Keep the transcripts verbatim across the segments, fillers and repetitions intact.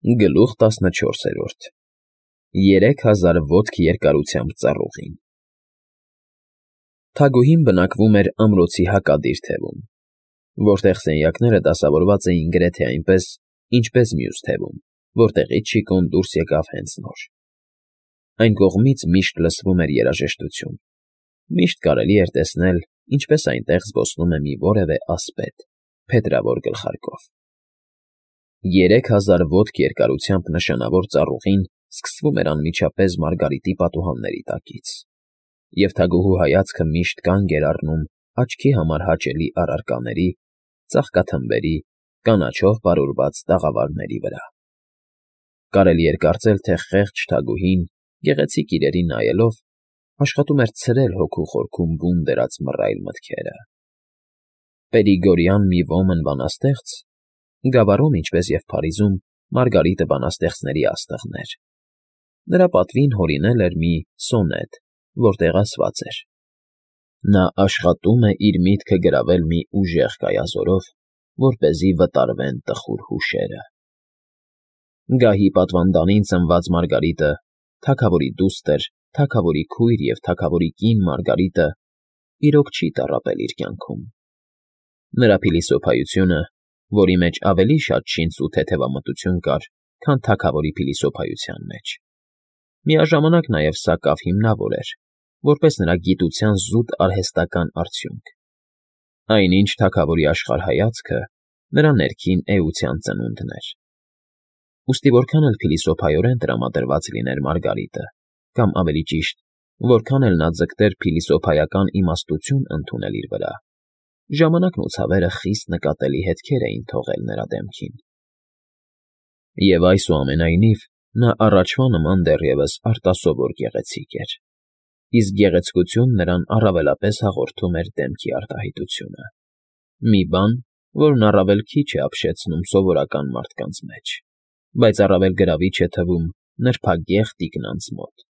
Գլուխ տասնչորսերորդ Երեք հազար ոտք երկարությամբ ծառուղին Թագուհին բնակվում էր ամրոցի հակադիր թևում, որտեղ սենյակները դասավորված էին գրեթե այնպես, ինչպես մյուս թևում, որտեղից Շիկոն դուրս եկավ հենց նոր. Այն կողմից միշտ լսվում էր երաժշտություն, միշտ կարելի էր տեսնել, ինչպես այնտեղ զբոսնում է մի որևէ ասպետ, փետրավոր գլխարկով։ Երեք հազար ոտք երկարությամբ նշանավոր ծառուղին սկսվում էր անմիջապես Մարգարիտի պատուհանների տակից, և թագուհու հայացքը միշտ կանգ էր առնում աչքի համար հաճելի առարկաների, ծաղկաթմբերի, կանաչով պարուրված տաղավարների վրա։ Կարելի էր կարծել, թե խեղճ թագուհին, գեղեցիկ իրերին նայելով, աշխատում էր ցրել հոգու խորքում բուն դրած մռայլ մտքերը։ Պերիգորյան մի ոմն բանաստեղծ Գավառում, ինչպես և Փարիզում, Մարգարիտը բանաստեղծների աստղն էր։ Նրա պատվին հորինել էր մի սոնետ, որտեղ ասված էր. Նա աշխատում է իր միտքը գրավել մի ուժեղ կայազորով, որպեսզի վտարվեն տխուր հուշերը։ Գահի պատվանդանին ծնված Մարգարիտը, թագավորի դուստր, թագավորի քույր և թագավորի կին Մարգարիտը իրոք չի տառապել իր կյանքում։ Նրա փիլիսոփայությունը, որի մեջ ավելի շատ շինծ ու թեթևամտություն կար, քան թագավորի փիլիսոփայության մեջ, միաժամանակ նաև սակավ հիմնավոր էր, որպես նրա գիտության զուտ արհեստական արդյունք։ Այնինչ թագավորի աշխարհայացքը նրա ներքին էության ծնունդն էր։ Ուստի որքան էլ փիլիսոփայորեն տրամադրված լիներ Մարգարիտը, կամ ավելի ճիշտ, որքան էլ նա ձգտեր փիլիսոփայական իմաստություն ընդունել իր վրա, ժամանակն ու ցավերը խիստ նկատելի հետքեր էին թողել նրա դեմքին։ Եվ այսուամենայնիվ նա առաջվա նման դեռևս արտասովոր գեղեցիկ էր, իսկ գեղեցկությունն նրան առավելապես հաղորդում էր դեմքի արտահայտությունը, մի բան, որն առավել քիչ է ապշեցնում սովորական մարդկանց մեջ, բայց առավել գրավիչ է թվում նրբագեղ տիկնանց մոտ,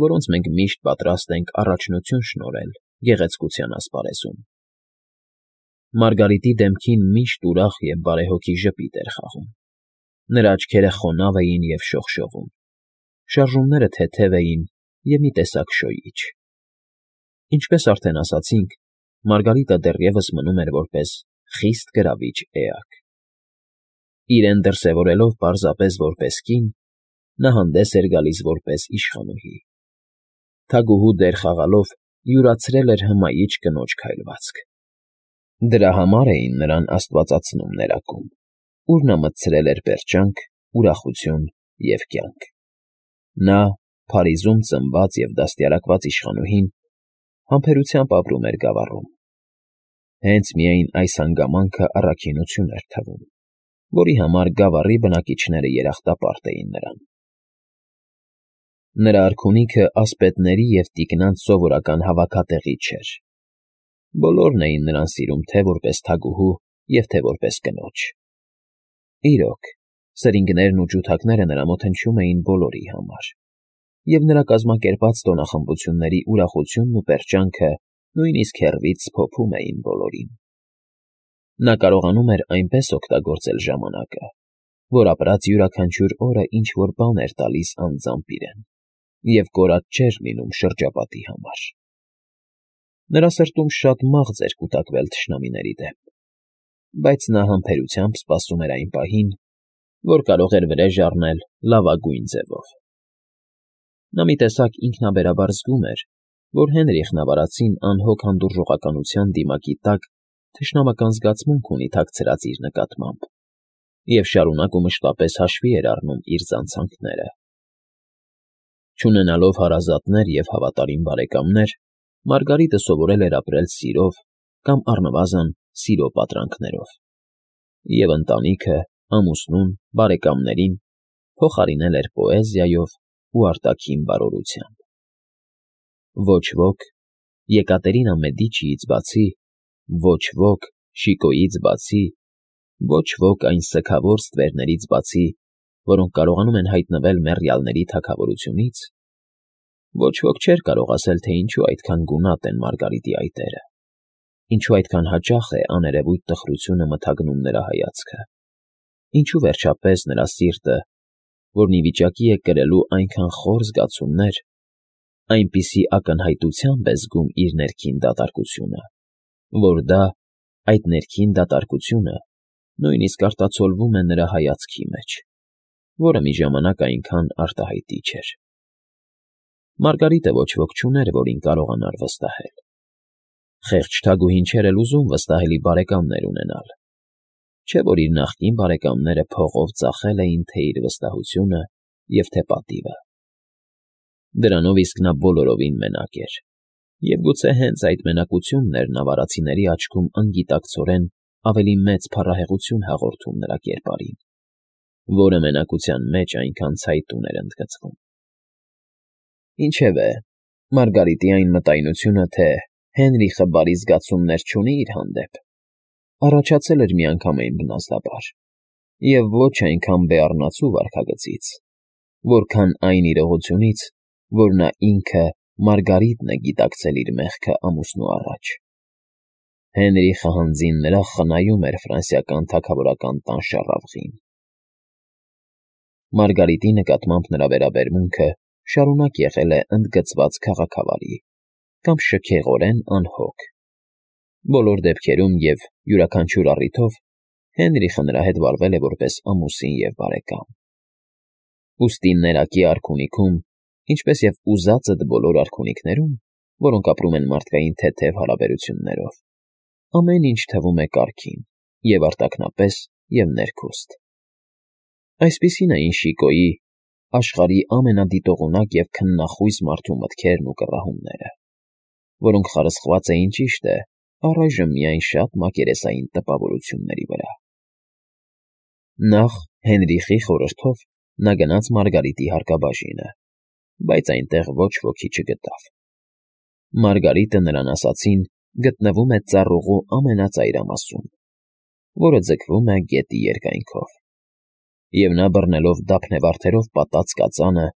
որոնց մենք միշտ պատրաստ ենք առաջնություն շնորհել գեղեցկության ասպարեզում։ Մարգարիտի դեմքին միշտ ուրախ և բարեհոգի ժպիտ էր խաղում։ Նրա աչքերը խոնավ էին և շողշողում, շարժումները թեթև էին և մի տեսակ շոյիչ։ Ինչպես արդեն ասացինք, Մարգարիտը դեռևս մնում էր որպես խիստ գրավիչ էակ։ Իրեն դրսևորելով պարզապես որպես կին, նա հանդես էր գալիս որպես իշխանուհի։ Թագուհու դեր խաղալով յուրացրել էր հմայիչ կնոջ քայլվածք։ Դրա համար էին նրան աստվածացնում ներակում, ուր նա մտցրել էր պերճանք, ուրախություն և կյանք։ Նա, Փարիզում ծնված և դաստիարակված իշխանուհին, համբերությամբ ապրում էր Գավառում։ Հենց միայն այս հանգամանքը առաքինություն էր թվում, որի համար Գավառի բնակիչները երախտապարտ էին նրան։ Նրա արքունիքը ասպետների և տիկնանց սովորական հավաքատեղի չէր։ Բոլորն էին նրան սիրում թե որպես թագուհու և թե որպես կնոջ։ Իրոք, սրինգներն ու ջութակները նրա մոտ հնչում էին բոլորի համար, և նրա կազմակերպած տոնախմբությունների ուրախությունն ու պերճանքը նույնիսկ հեռվից սփոփում էին բոլորին։ Նա կարողանում էր այնպես օգտագործել ժամանակը, որ ապրած յուրաքանչյուր օրը ինչ֊որ բան էր տալիս անձամբ իրեն, և կորած չէր լինում շրջապատի համար։ Նրա սրտում շատ մաղձ էր կուտակվել թշնամիների դեմ, բայց նա համբերությամբ սպասում էր այն պահին, որ կարող էր վրեժ առնել լավագույն ձևով։ Նա մի տեսակ ինքնաբերաբար զգում էր, որ Հենրիխն ավարածին անհոգ հանդուրժողականության դիմակի տակ թշնամական զգացմունք ունի թաքցրած իր նկատմամբ, և շարունակ ու մշտապես հաշվի էր առնում իր զանցանքները։ Չունենալով հարազատներ և հավատարիմ բարեկամներ, Մարգարիտը սովորել էր ապրել սիրով կամ առնվազն սիրո պատրանքներով, և ընտանիքը, ամուսնուն, բարեկամներին փոխարինել էր պոեզիայով ու արտաքին բարօրությամբ։ Ոչ ոք, Եկատերինա Մեդիչիից բացի, ոչ ոք, Շիկոյից բացի, ոչ ոք այն սգավոր ստվերներից բացի, որոնք կարողանում են հայտնվել մեռյալների թագավորությունից, ոչ ոք չէր կարող ասել, թե ինչու այդքան գունատ են Մարգարիտի այտերը, ինչու այդքան հաճախ է աներևույթ տխրությունը մթագնում նրա հայացքը, ինչու վերջապես նրա սիրտը որն ի վիճակի է կրելու այնքան խոր զգացումներ, այնպիսի ակնհայտությամբ է զգում իր ներքին դատարկությունը, որ դա, այդ ներքին դատարկությունը, նույնիսկ արտացոլվում է նրա հայացքի մեջ, որը մի ժամանակ այնքան արտահայտիչ էր։ Մարգարիտը ոչ ոք չուներ, որին կարողանար վստահել։ Խեղճ թագուհին չէր էլ ուզում վստահելի բարեկամներ ունենալ, չէ՞ որ իր նախկին բարեկամները փողով ծախել էին թե իր վստահությունը և թե պատիվը։ Դրանով իսկ նա բոլորովին մենակ էր, և գուցե հենց այդ մենակությունն էր նավարացիների աչքում անգիտակցորեն ավելի մեծ փառահեղություն հաղորդում նրա կերպարին, որը մենակության մեջ այնքան ցայտուն էր ընդգծվում։ Ինչևէ, Մարգարիտի այն մտայնությունը, թե Հենրիխը բարի զգացումներ չունի իր հանդեպ, առաջացել էր միանգամայն բնազդաբար և ոչ այնքան բեառնացու վարքագծից, որքան այն իրողությունից, որ նա ինքը Մարգարիտն է գիտակցել իր մեղքը ամուսնու առաջ։ Հենրիխը հանձին նրա խնայում էր ֆրանսիական թագավորական տան շառավղին։ Մարգարիտի նկատմամբ նրա վերաբերմունքը շարունակ եղել է ընդգծված քաղաքավարի կամ շքեղորեն անհոգ։ Բոլոր դեպքերում և յուրաքանչյուր առիթով Հենրիխը նրա հետ վարվել է որպես ամուսին և բարեկամ։ Ուստի ներակի արքունիքում, ինչպես և ուզածդ բոլոր արքունիքներում, որոնք ապրում են մարդկային թեթև հարաբերություններով, ամեն ինչ թվում է կարգին, և արտաքնապես, և ներքուստ։ Այսպիսին էին Շիկոյի, աշխարհի ամենադիտողունակ և քննախույս մարդու մտքերն ու կռահումները, որոնք խարսխված էին, ճիշտ է, առայժմ միայն շատ մակերեսային տպավորությունների վրա։ Նախ Հենրիխի խորհրդով նա գնաց Մարգարիտի հարկաբաժինը, բայց այնտեղ ոչ ոքի չգտավ։ Մարգարիտը նրան ասացին գտնվում է ծառուղու ամենածայրամասում, որը ձգվում է գետի երկայնքով, և նա բռնելով դափնեվարդերով պատած կածանը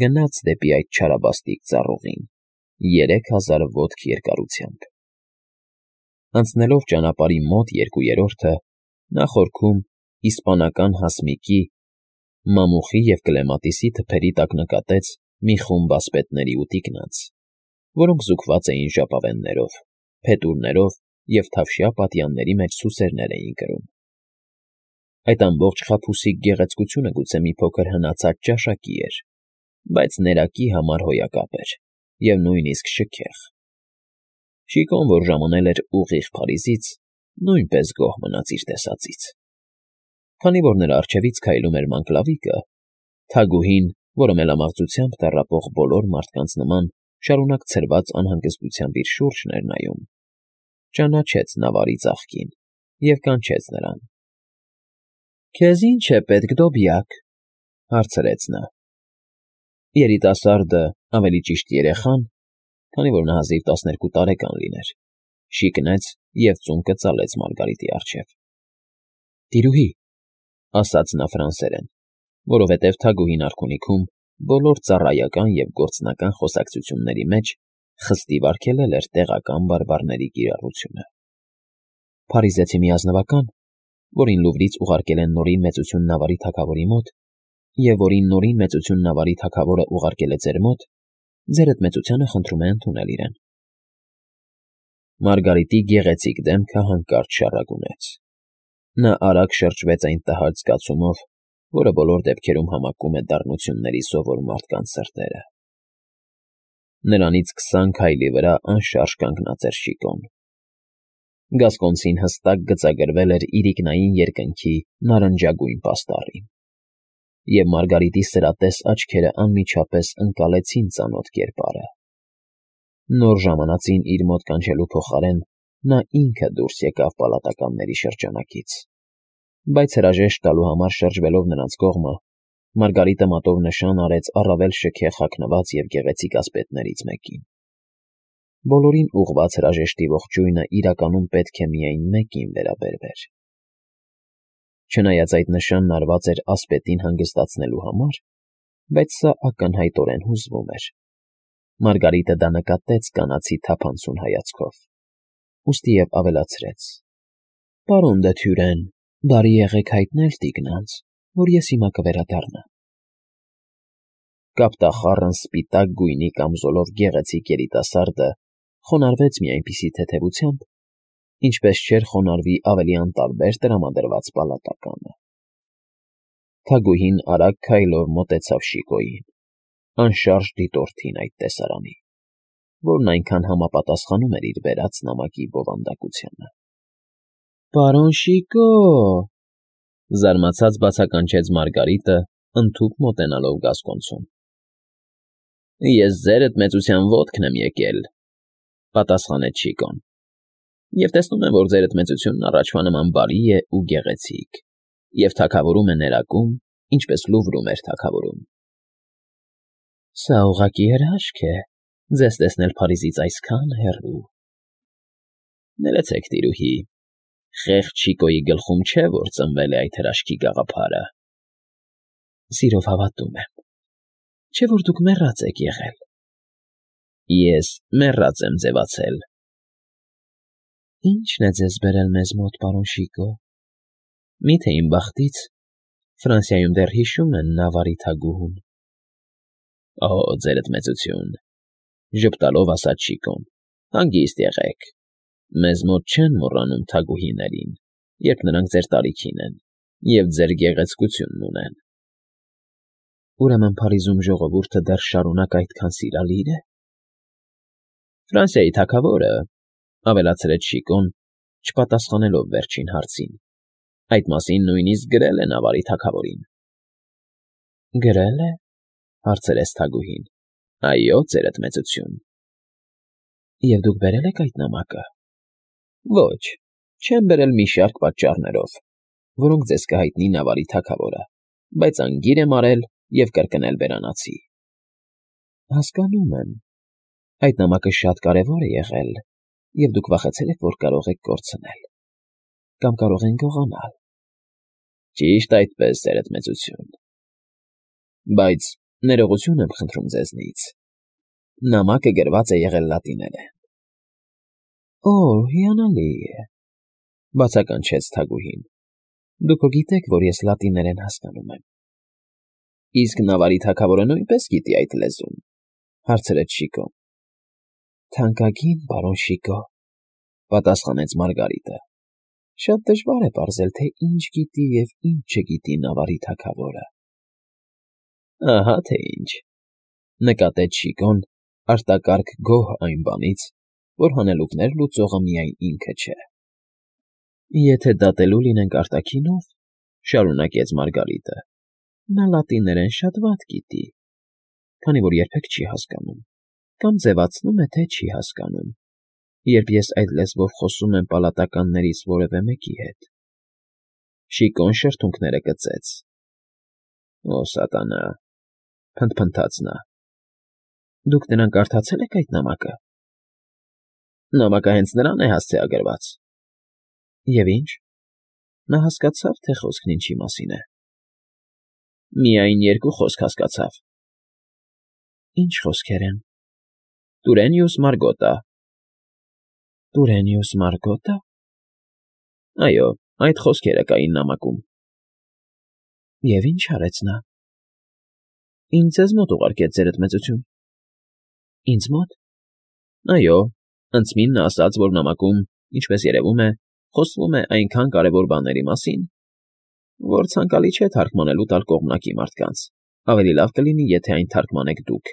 գնաց դեպի այդ չարաբաստիկ ծառուղին երեք հազար ոտք երկարությամբ։ Անցնելով ճանապարհի մոտ երկու երրորդը, նա խորքում իսպանական հասմիկի, մամուխի և կլեմատիսի թփերի տակ նկատեց մի խումբ ասպետների ու տիկնանց, որոնք զուգված էին ժապավեններով, փետուրներով և թավշյա պատյանների մեջ սուսերներ էին կրում։ Այդ ամբողջ խաբուսիկ գեղեցկությունը գուցե մի փոքր հնացած ճաշակի էր, բայց ներակի համար հոյակապ էր և նույնիսկ շքեղ։ Շիկոն, որ ժամանել էր ուղիղ Փարիզից, նույնպես գոհ մնաց իր տեսածից։ Քանի որ նրա առջևից քայլում էր Մանկլավիկը, թագուհին, որը մելամաղձությամբ տառապող բոլոր մարդկանց նման շարունակ ցրված անհանգստությամբ իր շուրջն էր նայում, ճանաչեց նավարի ծաղկին և կանչեց նրան։ ֊ Քեզ ի՞նչ է պետք, Դոբիակ,֊ հարցրեց նա։ Երիտասարդը, ավելի ճիշտ երեխան, քանի որ նա հազիվ տասներկու տարեկան լիներ, շիկնեց և ծունկը ծալեց Մարգարիտի առջև։ ֊ Տիրուհի,֊ ասաց նա ֆրանսերեն, որովհետև թագուհին արքունիքում բոլոր ծառայական և գործնական խոսակցությունների մեջ խստիվ արգելել էր տեղական բարբառների կիրառությունը։ Փարիզեցի մի ազնվական, որին Լուվրից ուղարկել են Նորին Մեծություն նավարի թագավորի մոտ, և որին Նորին Մեծություն նավարի թագավորը ուղարկել է ձեր մոտ, ձերդ մեծությանը խնդրում է ընդունել իրեն։ Մարգարիտի գեղեցիկ դեմքը հանկարծ շառագունեց։ Նա արագ շրջվեց այն տհաճ զգացումով, որը բոլոր դեպքերում համակում է դառնությունների սովոր մարդկանց սրտերը։ Նրանից քսան քայլի վրա անշարժ կանգնած էր Շիկոն։ Գասկոնցին հստակ գծագրվել էր իրիկնային երկնքի նարնջագույն պաստառին, և Մարգարիտի սրատես աչքերը անմիջապես ընկալեցին ծանոթ կերպարը։ Նոր ժամանածին իր մոտ կանչելու փոխարեն նա ինքը դուրս եկավ պալատականների շրջանակից, բայց հրաժեշտ տալու համար շրջվելով նրանց կողմը, Մարգարիտը մատով նշան արեց առավել շքեղ հագնված և գեղեցիկ ասպետներից մեկին։ Բոլորին ուղղված հրաժեշտի ողջույնը իրականում պետք է միայն մեկին վերաբերվեր։ Չնայած այդ նշանն արված էր ասպետին հանգստացնելու համար, բայց սա ակնհայտորեն հուզվում էր։ Մարգարիտը դա նկատեց կանացի թափանցուն հայացքով, ուստիև ավելացրեց. ֊ Պարոն դը Թյուրեն, բարի եղեք հայտնել տիկնանց, որ ես հիմա կվերադառնամ։ Կապտախառն սպիտակ գույնի կամզոլով գեղեցիկ երիտասարդը խոնարհվեց մի այնպիսի թեթևությամբ, ինչպես չէր խոնարհվի ավելի անտարբեր տրամադրված պալատականը։ Թագուհին արագ քայլով մոտեցավ Շիկոյին, անշարժ դիտորդին այդ տեսարանի, որն այնքան համապատասխանում էր իր բերած նամակի բովանդակությանը։ ֊ Պարոն Շիկո՜, զարմացած բացականչեց Մարգարիտը, ընդհուպ մոտենալով Գասկոնցուն։ ֊ Ես ձերդ մեծության ոտքն եմ եկել,֊ պատասխանեց Շիկոն,֊ և տեսնում եմ, որ ձերդ մեծությունն առաջվա նման բարի է ու գեղեցիկ, և թագավորում է ներակում, ինչպես Լուվրում էր թագավորում։ ֊ Սա ուղղակի հրաշք է, ձեզ տեսնել Փարիզից այսքան հեռու։ ֊ Ներեցեք, տիրուհի, խեղճ Շիկոյի գլխում չէ, որ ծնվել է այդ հրաշքի գաղափարը։ ֊ Սիրով հավատում եմ, չէ՞ որ դուք մեռած եք եղել։ ֊ Ես մեռած եմ ձևացել։ ֊ Ի՞նչն է ձեզ բերել մեզ մոտ, պարոն Շիկո։ Մի՞թե իմ բախտից Ֆրանսիայում դեռ հիշում են Նավարի թագուհուն։ ֊ Օ, ձերդ մեծություն,֊ ժպտալով ասաց Շիկոն,֊ հանգիստ եղեք. մեզ մոտ չեն մոռանում թագուհիներին, երբ նրանք ձեր տարիքին են և ձեր գեղեցկությունն ունեն։ ֊ Ուրեմն Փարիզում ժողովուրդը դեռ շարունակ այդքան սիրալի՞ր է։ ֊ Ֆրանսիայի թագավորը,֊ ավելացրեց Շիկոն, չպատասխանելով վերջին հարցին,֊ այդ մասին նույնիսկ գրել է Նավարի թագավորին։ ֊ Գրե՞լ է,֊ հարցրեց թագուհին։ ֊ Այո, ձերդ մեծություն։ ֊ Եվ դուք բերել եք այդ նամակը։ ֊ Ոչ, չեմ բերել մի շարք պատճառներով, որոնք ձեզ կհայտնի Նավարի թագավորը, բայց անգիր եմ արել և կրկնել բերանացի։ ֊ Հասկանում եմ, այդ նամակը շատ կարևոր է եղել, և դուք վախեցել եք, որ կարող եք կորցնել կամ կարող են գողանալ։ ֊ Ճիշտ այդպես, ձերդ մեծություն։ ֊ Բայց ներողություն եմ խնդրում ձեզնից. նամակը գրված է եղել լատիներեն։ ֊ Օ՜, հիանալի է,֊ բացականչեց թագուհին։ ֊ Դուք հո գիտեք, որ ես լատիներեն հասկանում եմ։ ֊ Իսկ Նավարի թագավորը նույնպե՞ս գիտի այդ լեզուն,֊ հարցրեց Շիկոն։ ֊ Թանկագին պարոն Շիկո,֊ պատասխանեց Մարգարիտը,֊ շատ դժվար է պարզել, թե ինչ գիտի և ինչ չգիտի Նավարի թագավորը։ ֊ Ահա թե ինչ,֊ նկատեց Շիկոն, արտակարգ գոհ այն բանից, որ հանելուկներ լուծողը միայն ինքը չէ։ ֊ Եթե դատելու լինենք արտաքինով,֊ շարունակեց Մարգարիտը,֊ նա լատիներեն շատ վատ գիտի, քանի որ երբեք չի հասկանում կամ ձևացնում է, թե չի հասկանում, երբ ես այդ լեզվով խոսում եմ պալատականներից որևէ մեկի հետ։ Շիկոն շրթունքները կծեց։ ֊ Օ, սատանա,֊ փնթփնթաց նա,֊ դուք նրան կարդացե՞լ եք այդ նամակը։ ֊ Նամակը հենց նրան է հասցեագրված։ ֊ Եվ ի՞նչ։ Նա հասկացավ, թե խոսքն ինչի մասին է։ ֊ Միայն երկու խոսք հասկացավ։ ֊ Ի՞նչ խոսքեր են։ ֊ Տուրենյուս Մարգոտա։ ֊ Տուրենյուս Մարգոտա։ ֊ Այո, այդ խոսքերը կային նամակում։ ֊ Եվ ի՞նչ արեց նա։ ֊ Ինձ ձեզ մոտ ուղարկեց, ձերդ մեծություն։ ֊ Ինձ մո՞տ։ ֊ Այո, ընդսմին նա ասաց, որ նամակում, ինչպես երևում է, խոսվում է այնքան կարևոր բաների մասին, որ ցանկալի չէ թարգմանելու տալ կողմնակի մարդկանց, ավելի լավ կլինի, եթե այն թարգմանեք դուք,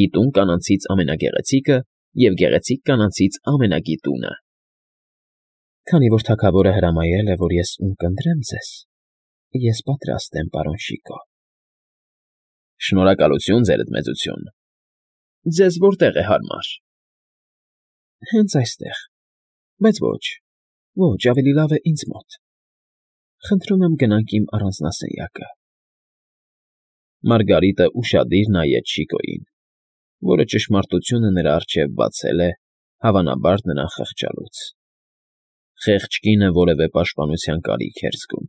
գիտուն կանանցից ամենագեղեցիկը և գեղեցիկ կանանցից ամենագիտունը։ ֊ Քանի որ թագավորը հրամայել է, որ ես ունկնդրեմ ձեզ, ես պատրաստ եմ, պարոն Շիկո։ ֊ Շնորհակալություն, ձերդ մեծություն։ Ձեզ որտե՞ղ է հարմար։ ֊ Հենց այստեղ, բայց ոչ, ոչ, ավելի լավ է ինձ մոտ։ Խնդրում եմ գնանք իմ առանձնասենյակը։ Մարգարիտը ուշադիր նայեց Շիկոյին, որը ճշմարտությունը նրա առջև բացել է, հավանաբար նրան խղճալուց։ Խեղճ կինը որևէ պաշտպանության կարիք էր զգում,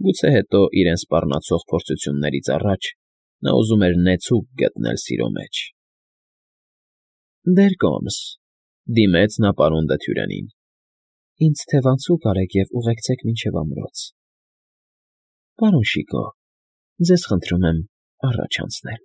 գուցե հետո իրեն սպառնացող փորձություններից առաջ նա ուզում էր նեցուկ գտնել սիրո մեջ։ ֊ Դեր կոմս,֊ դիմեց նա պարոն Դթյուրենին,֊ ինձ թևանցուկ արեք և ուղեկցեք մինչև ամրոց։ ֊ Պարոն Շիկո, ձեզ խնդրում եմ առաջ անցնել։